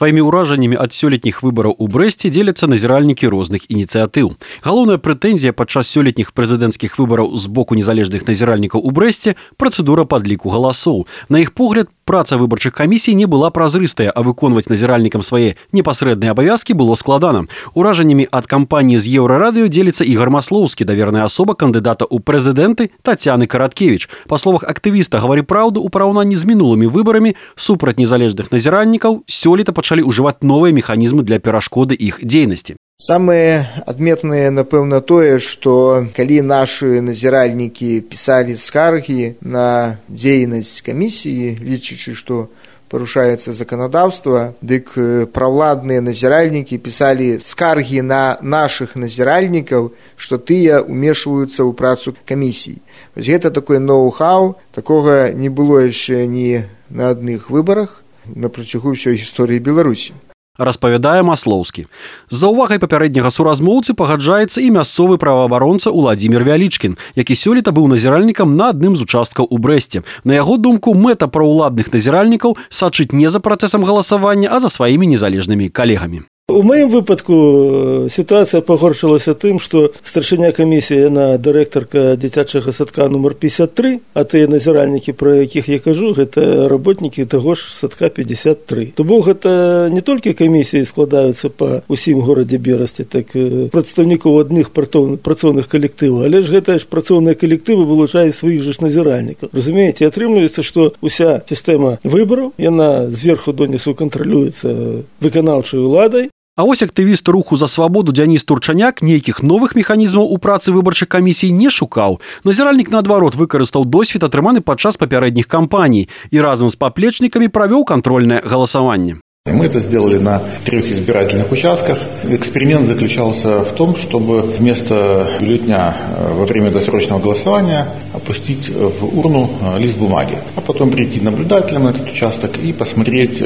Сваімі ўражаннямі ад сёлетніх выбараў у Брэсце дзеляцца назіральнікі розных ініцыятыў. Галоўная прэтэнзія падчас сёлетніх прэзідэнцкіх выбараў з боку незалежных назіральнікаў у Брэсце – працэдура падліку галасоў. На іх погляд, праца выбарчых камісій не была празрыстая, а выконваць назіральнікам свае непасрэдныя абавязкі было складана. Уражаннямі ад кампаніі з Еўрарадыё дзеліцца Ігор Маслоўскі, даверная асоба кандыдата ў прэзідэнты Тацяны Караткевіч. Па словах актывіста «Гавары праўду», у параўнанні з мінулымі выбарамі супраць незалежных назіральнікаў сёлета пачалі ўжываць новыя механізмы для перашкоды іх дзейнасці. Самае адметнае, напэўна, тое, што калі нашы назіральнікі пісалі скаргі на дзейнасць камісіі, лічачы, што парушаецца заканадаўства, дык правладныя назіральнікі пісалі скаргі на нашых назіральнікаў, што тыя ўмешваюцца ў працу камісій. Вось гэта такой ноу-хау, такога не было яшчэ ні на адных выбарах на працягу ўсёй гісторыі Беларусі. Распавядае Маслоўскі. З-за ўвагай папярэдняга суразмоўцы пагаджаецца і мясцовы праваабаронца Уладзімір Вялічкін, які сёлета быў назіральнікам на адным з участкаў у Брэсце. На яго думку, мэта праўладных назіральнікаў сачыць не за працэсам галасавання, а за сваімі незалежнымі калегамі. У маім выпадку сітуацыя пагоршылася тым, што старшыня камісіі, яна дырэктарка дзіцячага садка нумар 53, а тыя назіральнікі, пра якіх я кажу, гэта работнікі таго ж садка 53. То бок гэта не толькі камісіі складаюцца па ўсім горадзе Берасці, так прадстаўнікоў адных працоўных калектываў, але ж гэта ж працоўныя калектывы вылучаюць сваіх жа назіральнікаў. Разумееце, атрымліваецца, што ўся сістэма выбараў, яна зверху донізу кантралюецца выканаўчай уладай. А вось актывіст руху за свабоду Дзяніс Турчаняк нейкіх новых механізмаў у працы выбарчых камісій не шукаў. Назіральнік, наадварот, выкарыстаў досвед, атрыманы падчас папярэдніх кампаній, і разам з паплечнікамі правёў кантрольнае галасаванне. Мы это сделали на 3 избирательных участках. Эксперимент заключался в том, чтобы вместо бюллетня во время досрочного голосования опустить в урну лист бумаги, а потом прийти наблюдателем на этот участок и посмотреть,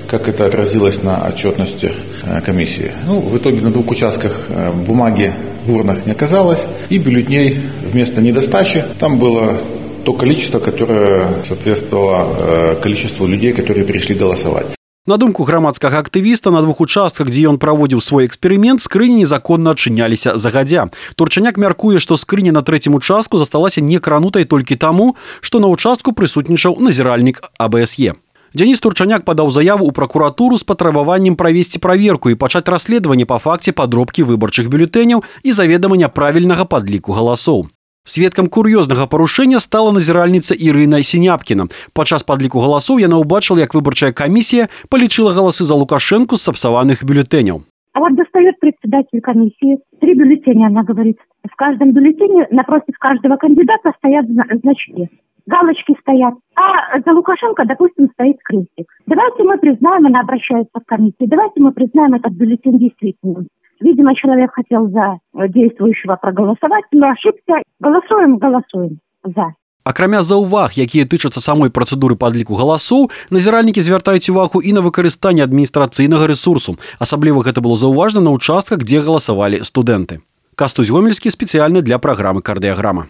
как это отразилось на отчетности комиссии. В итоге на 2 участках бумаги в урнах не оказалось, и бюллетней вместо недостачи там было то количество, которое соответствовало количеству людей, которые пришли голосовать. На думку грамадскага актывіста, на 2 участках, дзе ён праводзіў свой эксперымент, скрыні незаконна адчыняліся загадзя. Турчаняк мяркуе, што скрыня на 3-м участку засталася некранутай толькі таму, што на участку прысутнічаў назіральнік АБСЕ. Дзяніс Турчаняк падаў заяву ў пракуратуру з патрабаваннем правесці праверку і пачаць расследаванне па факце падробкі выбарчых бюлетэняў і заведама няправільнага падліку галасоў. Сведкам кур'ёзнага парушэння стала назіральніца Ірына Сіняпкіна. Падчас падліку галасоў яна ўбачыла, як выбарчая камісія палічыла галасы за Лукашенку з сапсаваных бюллетэняў. А вот достает председатель комиссии 3 бюллетеня, она говорит. В каждом бюллетене напротив каждого кандидата стоят значки. Галочки стоят. А за Лукашенко, допустим, стоит крестик. Давайте мы признаем, она обращается в комиссию, давайте мы признаем этот бюллетень действительным. Видимо, человек хотел за действующего проголосовать, но ошибся. Голосуем за. Акрамя заўваг, якія тычацца самой працэдуры падліку галасоў, назіральнікі звяртаюць увагу і на выкарыстанне адміністрацыйнага рэсурсу. Асабліва гэта было заўважна на участках, дзе галасавалі студэнты. Кастусь Гомельскі спецыяльна для праграмы «Кардыяграма».